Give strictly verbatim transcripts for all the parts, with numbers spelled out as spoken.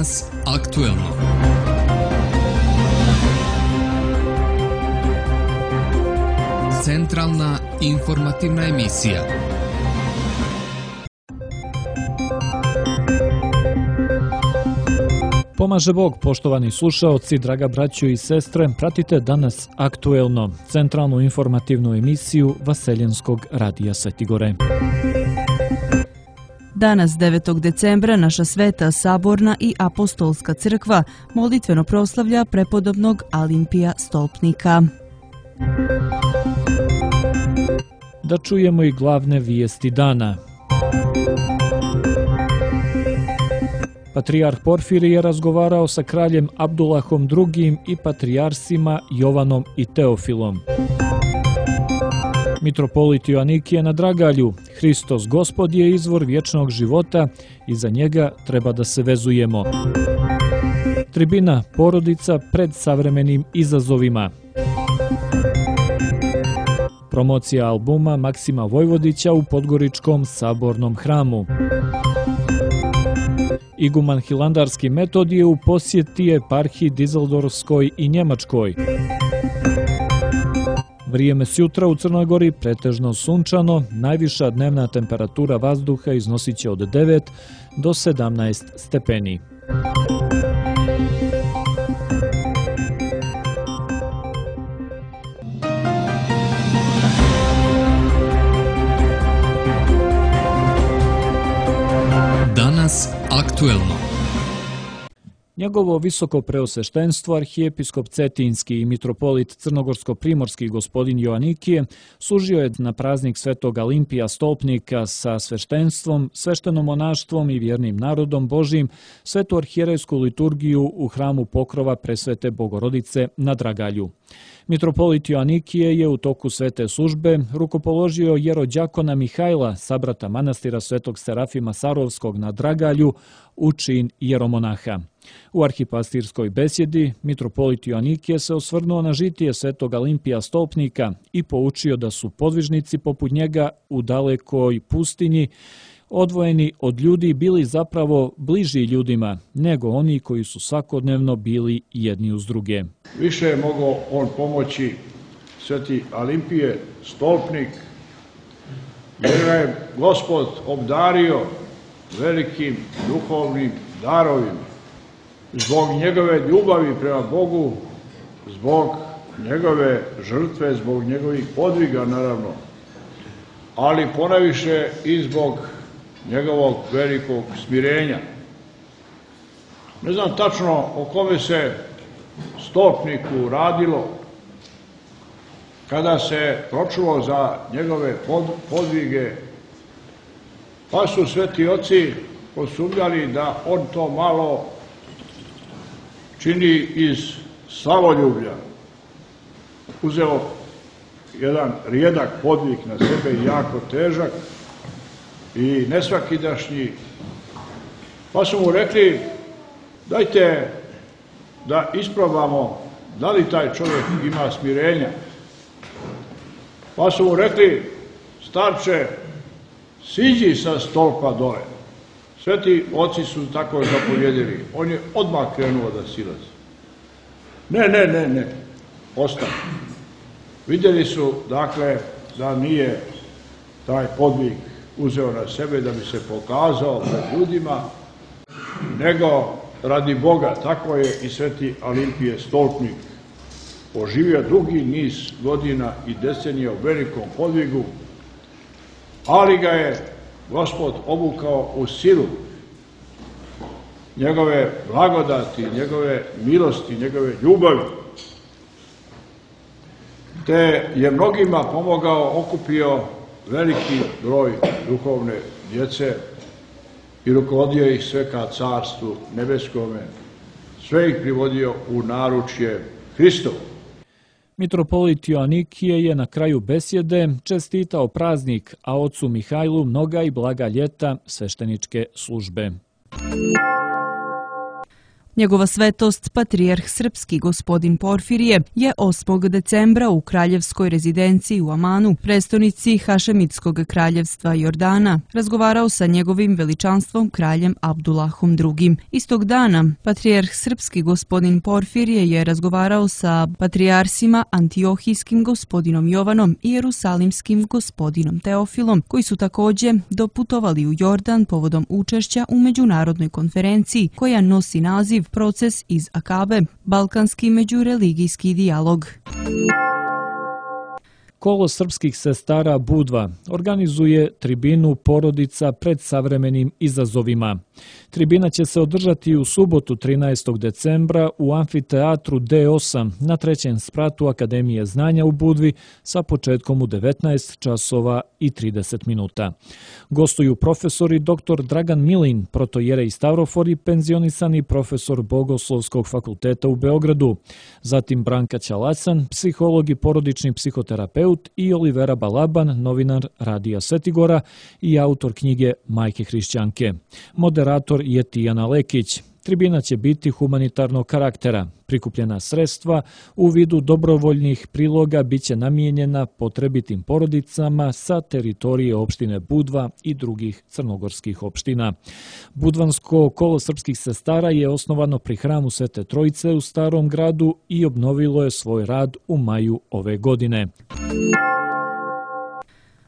Danas aktuelno. Centralna informativna emisija. Pomaže Bog, poštovani slušaoci, draga braćo i sestre, pratite Danas aktuelno, centralnu informativnu emisiju Vaseljenskog radija Svetigore. Danas, devetog decembra, naša Sveta Saborna i Apostolska crkva molitveno proslavlja prepodobnog Alimpija Stolpnika. Da čujemo i glavne vijesti dana. Patrijarh Porfirije je razgovarao sa kraljem Abdulahom drugim i patrijarsima Jovanom i Teofilom. Mitropolit Joanikije na Dragalju: Hristos Gospod je izvor vječnog života i za njega treba da se vezujemo. Tribina porodica pred savremenim izazovima. Promocija albuma Maksima Vojvodića u Podgoričkom sabornom hramu. Iguman Hilandarski Metodije u posjeti eparhiji Dizeldorfskoj i Njemačkoj. Vrijeme sjutra u Crnoj Gori pretežno sunčano, najviša dnevna temperatura vazduha iznosit će od devet do sedamnaest stepeni. Danas aktuelno. Njegovo visoko preosveštenstvo, arhijepiskop Cetinski i mitropolit Crnogorsko-primorski gospodin Joanikije služio je na praznik Svetog Alimpija Stolpnika sa sveštenstvom, sveštenomonaštvom i vjernim narodom Božijim svetu arhijerejsku liturgiju u hramu Pokrova Presvete Bogorodice na Dragalju. Mitropolit Joanikije je u toku svete službe rukopoložio jerođakona Mihajla, sabrata manastira Svetog Serafima Sarovskog na Dragalju, u čin jeromonaha. U arhipastirskoj besjedi mitropolit Joanikije se osvrnuo na žitije Svetog Alimpija Stolpnika i poučio da su podvižnici poput njega u dalekoj pustinji, odvojeni od ljudi, bili zapravo bliži ljudima nego oni koji su svakodnevno bili jedni uz druge. Više je mogao on pomoći Sveti Alimpije Stolpnik, jer ga je Gospod obdario velikim duhovnim darovima. Zbog njegove ljubavi prema Bogu, zbog njegove žrtve, zbog njegovih podviga naravno, ali ponajviše i zbog njegovog velikog smirenja. Ne znam tačno o kome se stolpniku radilo kada se pročulo za njegove podvige, pa su sveti oci posumnjali da on to malo čini iz slavoljublja. Uzeo jedan rijedak podvig na sebe, jako težak i nesvakidašnji, pa su mu rekli: dajte da isprobamo da li taj čovjek ima smirenja. Pa su mu rekli: starče, siđi sa stolpa dole. Sveti oci su tako zapovjedili. On je odmah krenuo da silazi. Ne, ne, ne, ne, ostane. Vidjeli su, dakle, da nije taj podvig uzeo na sebe da bi se pokazao pred ljudima, nego radi Boga. Tako je i Sveti Alimpije Stolpnik poživio dugi niz godina i decenija u velikom podvigu, ali ga je Gospod obukao u silu njegove blagodati, njegove milosti, njegove ljubavi, te je mnogima pomogao, okupio veliki broj duhovne djece i rukovodio ih sve ka Carstvu nebeskome, sve ih privodio u naručje Hristovo. Mitropolit Joanikije je na kraju besjede čestitao praznik, a ocu Mihajlu mnoga i blaga ljeta svešteničke službe. Njegova svetost, patrijarh srpski gospodin Porfirije, je osmog decembra u kraljevskoj rezidenciji u Amanu, prestonici Hašemitskog kraljevstva Jordana, razgovarao sa njegovim veličanstvom kraljem Abdulahom drugim. Istog dana, patrijarh srpski gospodin Porfirije je razgovarao sa patrijarsima Antiohijskim gospodinom Jovanom i jerusalimskim gospodinom Teofilom, koji su također doputovali u Jordan povodom učešća u međunarodnoj konferenciji koja nosi naziv Proces iz Akabe, balkanski međureligijski dijalog. Kolo srpskih sestara Budva organizuje tribinu Porodica pred savremenim izazovima. Tribina će se održati u subotu trinaestog decembra u amfiteatru D osam na trećem spratu Akademije znanja u Budvi sa početkom u devetnaest časova i trideset minuta. Gostuju profesori dr Dragan Milin, protojerej Stavrofor i penzionisani profesor Bogoslovskog fakulteta u Beogradu, zatim Branka Ćalacan, psiholog i porodični psihoterapeut i Olivera Balaban, novinar Radija Svetigora i autor knjige Majke hrišćanke. Moderator je Tijana Lekić. Tribina će biti humanitarnog karaktera. Prikupljena sredstva u vidu dobrovoljnih priloga biće namijenjena potrebitim porodicama sa teritorije opštine Budva i drugih crnogorskih opština. Budvansko kolo srpskih sestara je osnovano pri hramu Svete Trojice u Starom gradu i obnovilo je svoj rad u maju ove godine.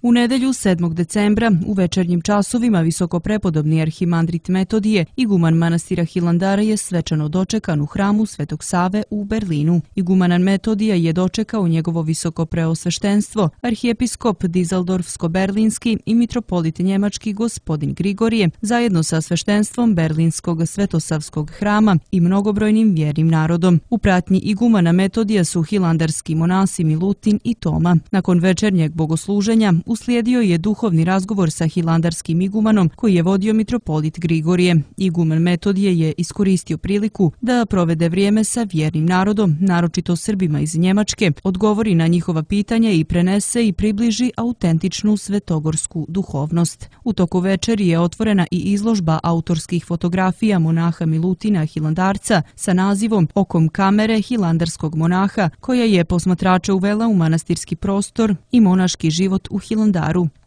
U nedelju sedmog decembra u večernjim časovima visokoprepodobni arhimandrit Metodije, iguman manastira Hilandara, je svečano dočekan u hramu Svetog Save u Berlinu. Igumanan Metodija je dočekao njegovo visokopreosveštenstvo, arhijepiskop Dizeldorfsko-berlinski i mitropolit njemački gospodin Grigorije, zajedno sa sveštenstvom Berlinskog svetosavskog hrama i mnogobrojnim vjernim narodom. U pratnji igumana Metodija su hilandarski monasi Milutin i Toma. Nakon večernjeg bogosluženja uslijedio je duhovni razgovor sa hilandarskim igumanom koji je vodio mitropolit Grigorije. Iguman Metodije je iskoristio priliku da provede vrijeme sa vjernim narodom, naročito Srbima iz Njemačke, odgovori na njihova pitanja i prenese i približi autentičnu svetogorsku duhovnost. U toku večeri je otvorena i izložba autorskih fotografija monaha Milutina Hilandarca sa nazivom Okom kamere hilandarskog monaha, koja je posmatrača uvela u manastirski prostor i monaški život u Hilandaru.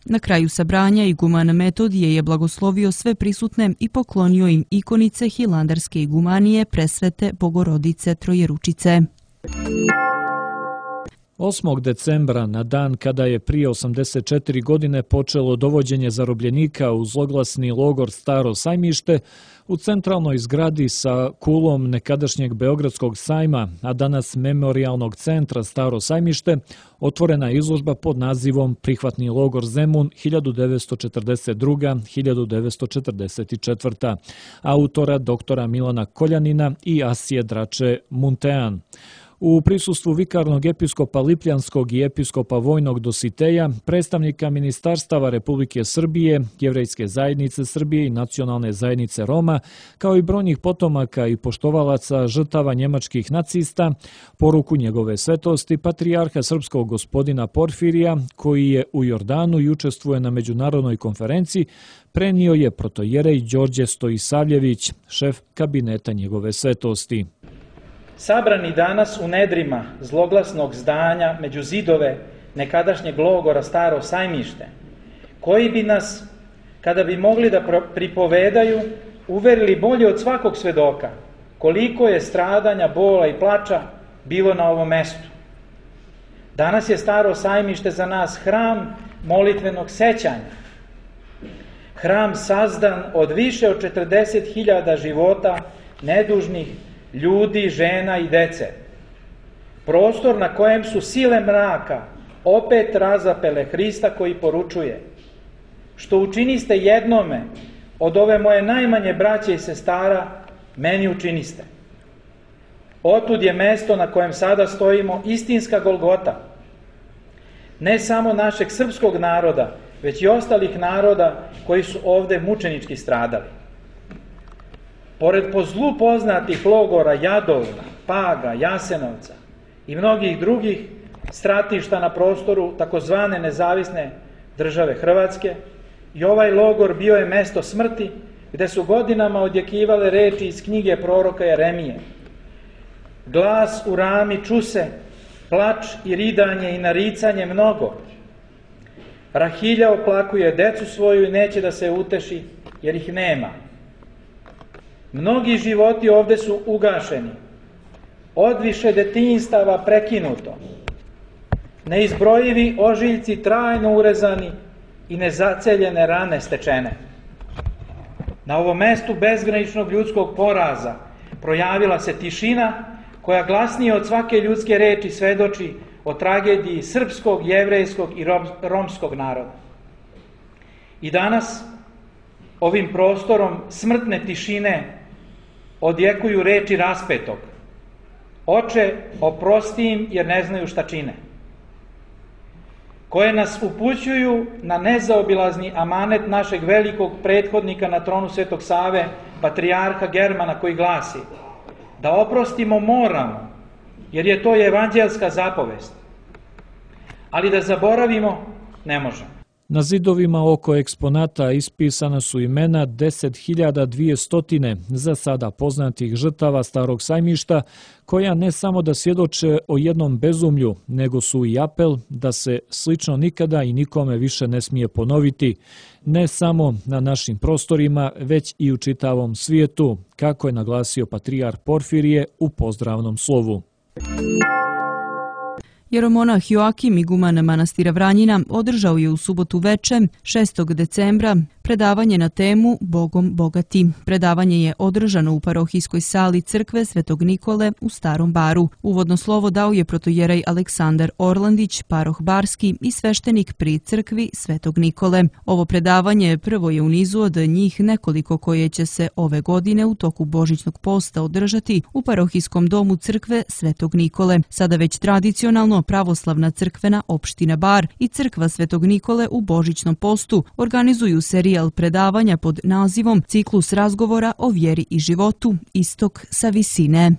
Na kraju sabranja iguman Metodije je blagoslovio sve prisutne i poklonio im ikonice hilandarske igumanije Presvete Bogorodice Trojeručice. osmog decembra, na dan kada je prije osamdeset četiri godine počelo dovođenje zarobljenika u zloglasni logor Staro Sajmište, u centralnoj zgradi sa kulom nekadašnjeg Beogradskog sajma, a danas Memorijalnog centra Staro Sajmište, otvorena je izložba pod nazivom Prihvatni logor Zemun hiljadu devetsto četrdeset druga do hiljadu devetsto četrdeset četvrta autora doktora Milana Koljanina i Asije Drače Muntean. U prisustvu vikarnog episkopa Lipljanskog i episkopa Vojnog Dositeja, predstavnika ministarstava Republike Srbije, Jevrejske zajednice Srbije i Nacionalne zajednice Roma, kao i brojnih potomaka i poštovalaca žrtava njemačkih nacista, poruku njegove svetosti patrijarha srpskog gospodina Porfirija, koji je u Jordanu i učestvuje na međunarodnoj konferenciji, prenio je protojerej Đorđe Stojisavljević, šef kabineta njegove svetosti. Sabrani danas u nedrima zloglasnog zdanja među zidove nekadašnjeg logora Staro Sajmište, koji bi nas, kada bi mogli da pripovedaju, uverili bolje od svakog svedoka koliko je stradanja, bola i plača bilo na ovom mestu. Danas je Staro Sajmište za nas hram molitvenog sećanja, hram sazdan od više od četrdeset hiljada života nedužnih ljudi, žena i dece. Prostor na kojem su sile mraka opet razapele Hrista koji poručuje: što učiniste jednome od ove moje najmanje braće i sestara, meni učiniste. Otud je mesto na kojem sada stojimo istinska Golgota, ne samo našeg srpskog naroda, već i ostalih naroda koji su ovde mučenički stradali. Pored po zlu poznatih logora Jadovna, Paga, Jasenovca i mnogih drugih stratišta na prostoru takozvane nezavisne države Hrvatske, i ovaj logor bio je mesto smrti gde su godinama odjekivale reči iz knjige proroka Jeremije. Glas u rami čuse, plač i ridanje i naricanje mnogo. Rahilja oplakuje decu svoju i neće da se uteši, jer ih nema. Mnogi životi ovde su ugašeni, odviše detinjstava prekinuto, neizbrojivi ožiljci trajno urezani i nezaceljene rane stečene. Na ovom mestu bezgraničnog ljudskog poraza projavila se tišina koja glasnije od svake ljudske reči svedoči o tragediji srpskog, jevrejskog i romskog naroda. I danas ovim prostorom smrtne tišine odjekuju reči raspetog. Oče, oprosti im jer ne znaju šta čine. Koje nas upućuju na nezaobilazni amanet našeg velikog prethodnika na tronu Svetog Save, patrijarha Germana, koji glasi: da oprostimo moramo, jer je to evanđelska zapovest. Ali da zaboravimo ne možemo. Na zidovima oko eksponata ispisana su imena deset hiljada dvesta za sada poznatih žrtava Starog sajmišta, koja ne samo da svjedoče o jednom bezumlju, nego su i apel da se slično nikada i nikome više ne smije ponoviti, ne samo na našim prostorima, već i u čitavom svijetu, kako je naglasio patrijarh Porfirije u pozdravnom slovu. Jeromonah Joakim, iguman manastira Vranjina, održao je u subotu veče, šestog decembra, predavanje na temu Bogom bogati. Predavanje je održano u parohijskoj sali crkve Svetog Nikole u Starom Baru. Uvodno slovo dao je protojerej Aleksandar Orlandić, paroh barski i sveštenik pri crkvi Svetog Nikole. Ovo predavanje prvo je u nizu od njih nekoliko koje će se ove godine u toku Božićnog posta održati u parohijskom domu crkve Svetog Nikole. Sada već tradicionalno Pravoslavna crkvena opština Bar i crkva Svetog Nikole u Božićnom postu organizuju serijal predavanja pod nazivom Ciklus razgovora o vjeri i životu, istok sa visine.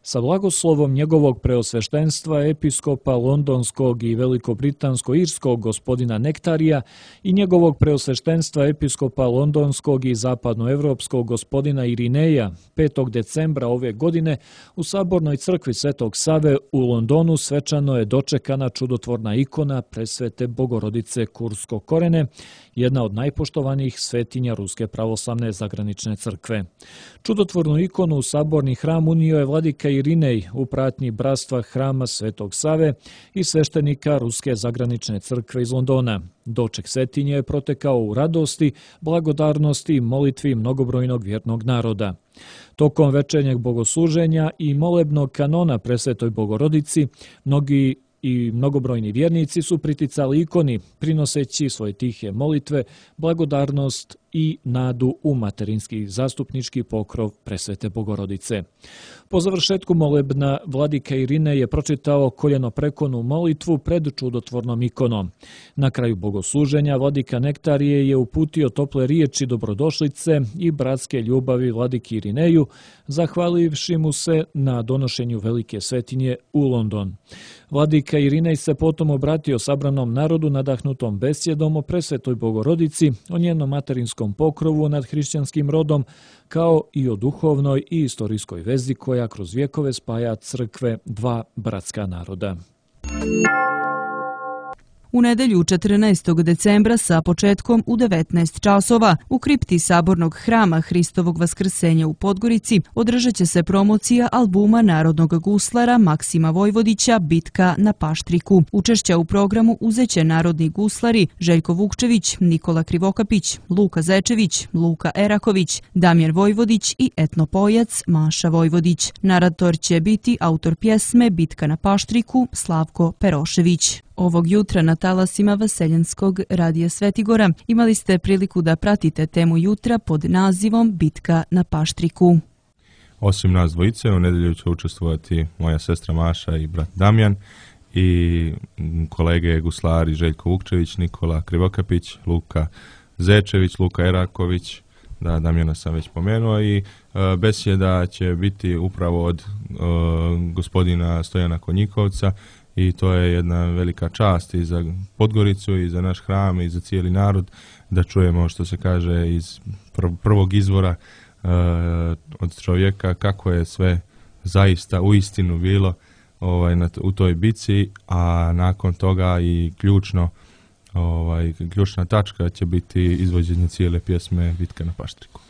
Sa blagoslovom njegovog preosveštenstva episkopa londonskog i velikobritansko-irskog gospodina Nektarija i njegovog preosveštenstva episkopa londonskog i zapadnoevropskog gospodina Irineja petog decembra ove godine u Sabornoj crkvi Svetog Save u Londonu svečano je dočekana čudotvorna ikona Presvete Bogorodice Kurskog korene, jedna od najpoštovanijih svetinja Ruske pravoslavne zagranične crkve. Čudotvornu ikonu u saborni hram unio je vladika Irinej u pratnji bratstva hrama Svetog Save i sveštenika Ruske zagranične crkve iz Londona. Doček svetinje je protekao u radosti, blagodarnosti i molitvi mnogobrojnog vjernog naroda. Tokom večernjeg bogosluženja i molebnog kanona Presvetoj Bogorodici, mnogi i mnogobrojni vjernici su priticali ikoni, prinoseći svoje tihe molitve, blagodarnost i nadu u materinski zastupnički pokrov Presvete Bogorodice. Po završetku molebna vladika Irine je pročitao koljenoprekonu molitvu pred čudotvornom ikonom. Na kraju bogosluženja vladika Nektarije je uputio tople riječi dobrodošlice i bratske ljubavi vladiki Irineju, zahvalivši mu se na donošenju velike svetinje u London. Vladika Irinej se potom obratio sabranom narodu nadahnutom besjedom o Presvetoj Bogorodici, o njenom materinskom pokrovu nad hrišćanskim rodom, kao i o duhovnoj i istorijskoj vezi koja kroz vjekove spaja crkve dva bratska naroda. U nedelju četrnaestog decembra sa početkom u devetnaest časova u kripti Sabornog hrama Hristovog vaskrsenja u Podgorici održat će se promocija albuma narodnog guslara Maksima Vojvodića Bitka na Paštriku. Učešća u programu uzeće narodni guslari Željko Vukčević, Nikola Krivokapić, Luka Zečević, Luka Eraković, Damjan Vojvodić i etnopojac Maša Vojvodić. Narator će biti autor pjesme Bitka na Paštriku Slavko Perošević. Ovog jutra na talasima Vaseljanskog radija Svetigora imali ste priliku da pratite temu jutra pod nazivom Bitka na Paštriku. Osim nas dvojice, u nedelju će učestvovati moja sestra Maša i brat Damjan i kolege guslari Željko Vukčević, Nikola Krivokapić, Luka Zečević, Luka Eraković, da Damjana sam već pomenuo, i uh, besjeda će biti upravo od uh, gospodina Stojana Konjikovca i to je jedna velika čast i za Podgoricu i za naš hram i za cijeli narod da čujemo, što se kaže, iz prvog izvora uh, od čovjeka kako je sve zaista u istinu bilo ovaj, na, u toj bici, a nakon toga i ključno ovaj, ključna tačka će biti izvođenje cijele pjesme Bitka na Paštriku.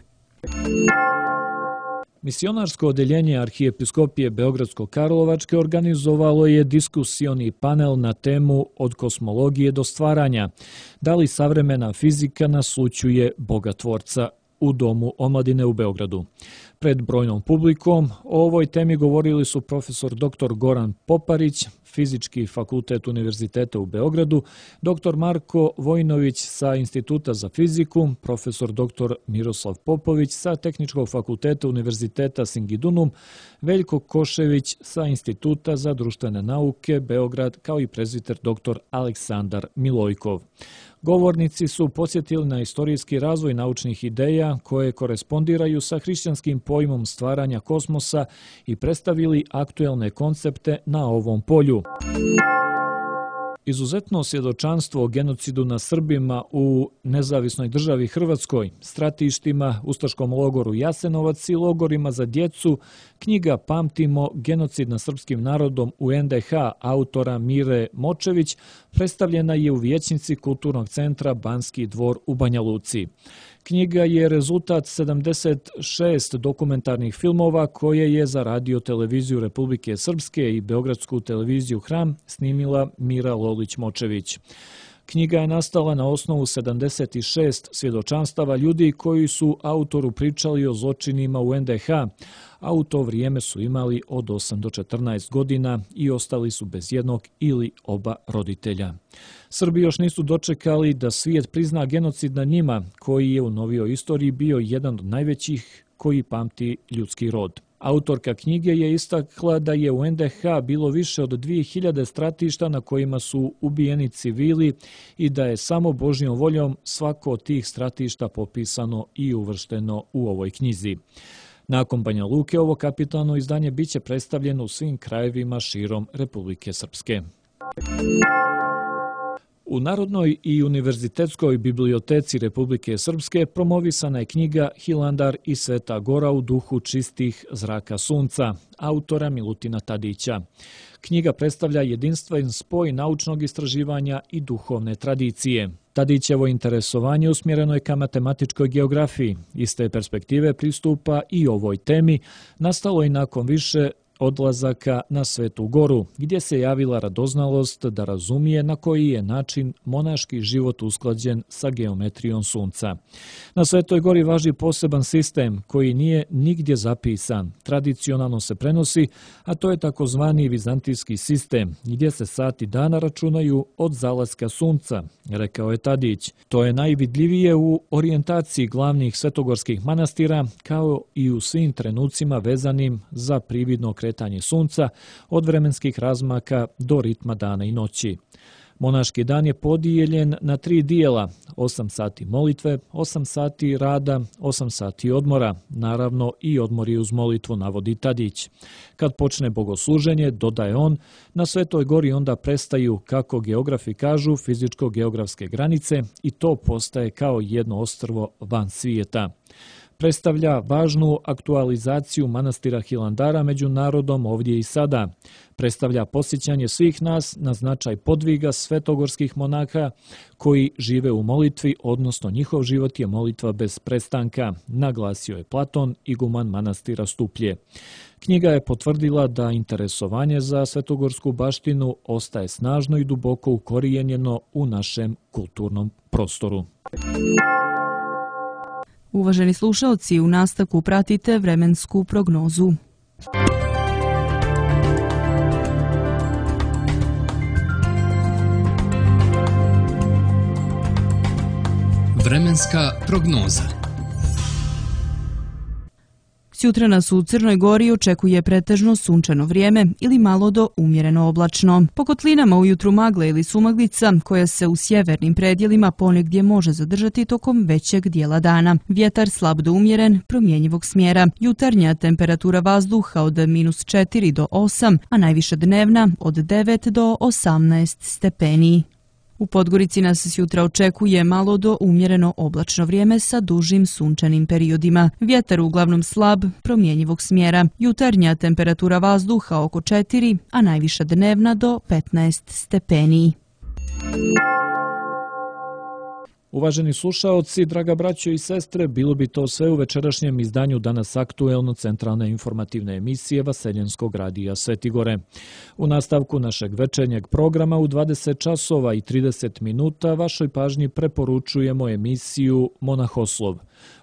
Misionarsko odeljenje Arhijepiskopije Beogradsko-Karlovačke organizovalo je diskusioni panel na temu Od kosmologije do stvaranja. Da li savremena fizika naslućuje Boga Tvorca u Domu omladine u Beogradu. Pred brojnom publikom o ovoj temi govorili su profesor doktor Goran Poparić, Fizički fakultet Univerziteta u Beogradu, doktor Marko Vojnović sa Instituta za fiziku, profesor doktor Miroslav Popović sa Tehničkog fakulteta Univerziteta Singidunum, Veljko Košević sa Instituta za društvene nauke Beograd, kao i prezbiter doktor Aleksandar Milojkov. Govornici su podsjetili na istorijski razvoj naučnih ideja koje korespondiraju sa hrišćanskim pojmom stvaranja kosmosa i predstavili aktuelne koncepte na ovom polju. Izuzetno svjedočanstvo o genocidu na Srbima u nezavisnoj državi Hrvatskoj, stratištima, ustaškom logoru Jasenovac i logorima za djecu, knjiga Pamtimo genocid nad srpskim narodom u en de ha autora Mire Močević predstavljena je u vijećnici Kulturnog centra Banski dvor u Banja Luci. Knjiga je rezultat sedamdeset šest dokumentarnih filmova koje je za radio televiziju Republike Srpske i Beogradsku televiziju Hram snimila Mira Lolić-Močević. Knjiga je nastala na osnovu sedamdeset šest svjedočanstava ljudi koji su autoru pričali o zločinima u en de ha, a u to vrijeme su imali od osam do četrnaest godina i ostali su bez jednog ili oba roditelja. Srbi još nisu dočekali da svijet prizna genocid nad njima, koji je u novijoj istoriji bio jedan od najvećih koji pamti ljudski rod. Autorka knjige je istakla da je u en de ha bilo više od dvije hiljade stratišta na kojima su ubijeni civili i da je samo Božjom voljom svako od tih stratišta popisano i uvršteno u ovoj knjizi. Nakon Banja Luke ovo kapitalno izdanje biće predstavljeno u svim krajevima širom Republike Srpske. U Narodnoj i univerzitetskoj biblioteci Republike Srpske promovisana je knjiga Hilandar i Sveta Gora u duhu čistih zraka sunca, autora Milutina Tadića. Knjiga predstavlja jedinstven spoj naučnog istraživanja i duhovne tradicije. Tadićevo interesovanje usmjereno je ka matematičkoj geografiji. Iz te perspektive pristupa i ovoj temi nastalo i nakon više odlazaka na Svetu Goru, gdje se javila radoznalost da razumije na koji je način monaški život usklađen sa geometrijom sunca. Na Svetoj Gori važi poseban sistem koji nije nigdje zapisan, tradicionalno se prenosi, a to je takozvani vizantijski sistem, gdje se sati dana računaju od zalaska sunca, rekao je Tadić. To je najvidljivije u orijentaciji glavnih svetogorskih manastira, kao i u svim trenucima vezanim za prividno kretanje sunca, od vremenskih razmaka do ritma dana i noći. Monaški dan je podijeljen na tri dijela, osam sati molitve, osam sati rada, osam sati odmora, naravno i odmori uz molitvu, navodi Tadić. Kad počne bogosluženje, dodaje on, na Svetoj Gori onda prestaju, kako geografi kažu, fizičko-geografske granice i to postaje kao jedno ostrvo van svijeta. Predstavlja važnu aktualizaciju manastira Hilandara među narodom ovdje i sada. Predstavlja posjećanje svih nas na značaj podviga svetogorskih monaha koji žive u molitvi, odnosno njihov život je molitva bez prestanka, naglasio je Platon, iguman manastira Stuplje. Knjiga je potvrdila da interesovanje za svetogorsku baštinu ostaje snažno i duboko ukorijenjeno u našem kulturnom prostoru. Uvaženi slušalci, u nastavku pratite vremensku prognozu. Vremenska prognoza. Sjutra nas u Crnoj Gori očekuje pretežno sunčano vrijeme ili malo do umjereno oblačno. Po kotlinama ujutru magle ili sumaglica koja se u sjevernim predjelima ponegdje može zadržati tokom većeg dijela dana. Vjetar slab do umjeren, promjenjivog smjera. Jutarnja temperatura vazduha od minus četiri do osam, a najviša dnevna od devet do osamnaest stepeni. U Podgorici nas sjutra očekuje malo do umjereno oblačno vrijeme sa dužim sunčanim periodima. Vjetar uglavnom slab, promjenjivog smjera. Jutarnja temperatura vazduha oko četiri, a najviša dnevna do petnaest stepeni. Uvaženi slušaoci, draga braćo i sestre, bilo bi to sve u večerašnjem izdanju Danas aktuelno centralne informativne emisije Vaseljenskog radija Svetigore. U nastavku našeg večernjeg programa u dvadeset časova i trideset minuta vašoj pažnji preporučujemo emisiju Monahoslov.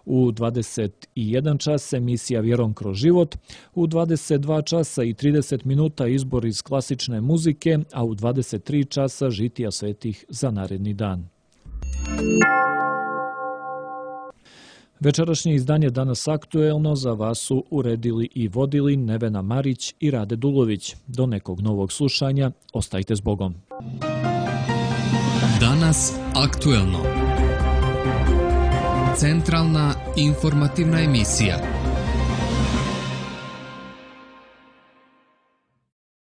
U dvadeset jedan čas emisija Vjerom kroz život, u dvadeset dva časa i trideset minuta izbor iz klasične muzike, a u dvadeset tri časa žitija svetih za naredni dan. Večerašnje izdanje Danas aktuelno za vas su uredili i vodili Nevena Marić i Rade Dulović. Do nekog novog slušanja, ostajte s Bogom. Danas aktuelno. Centralna informativna emisija.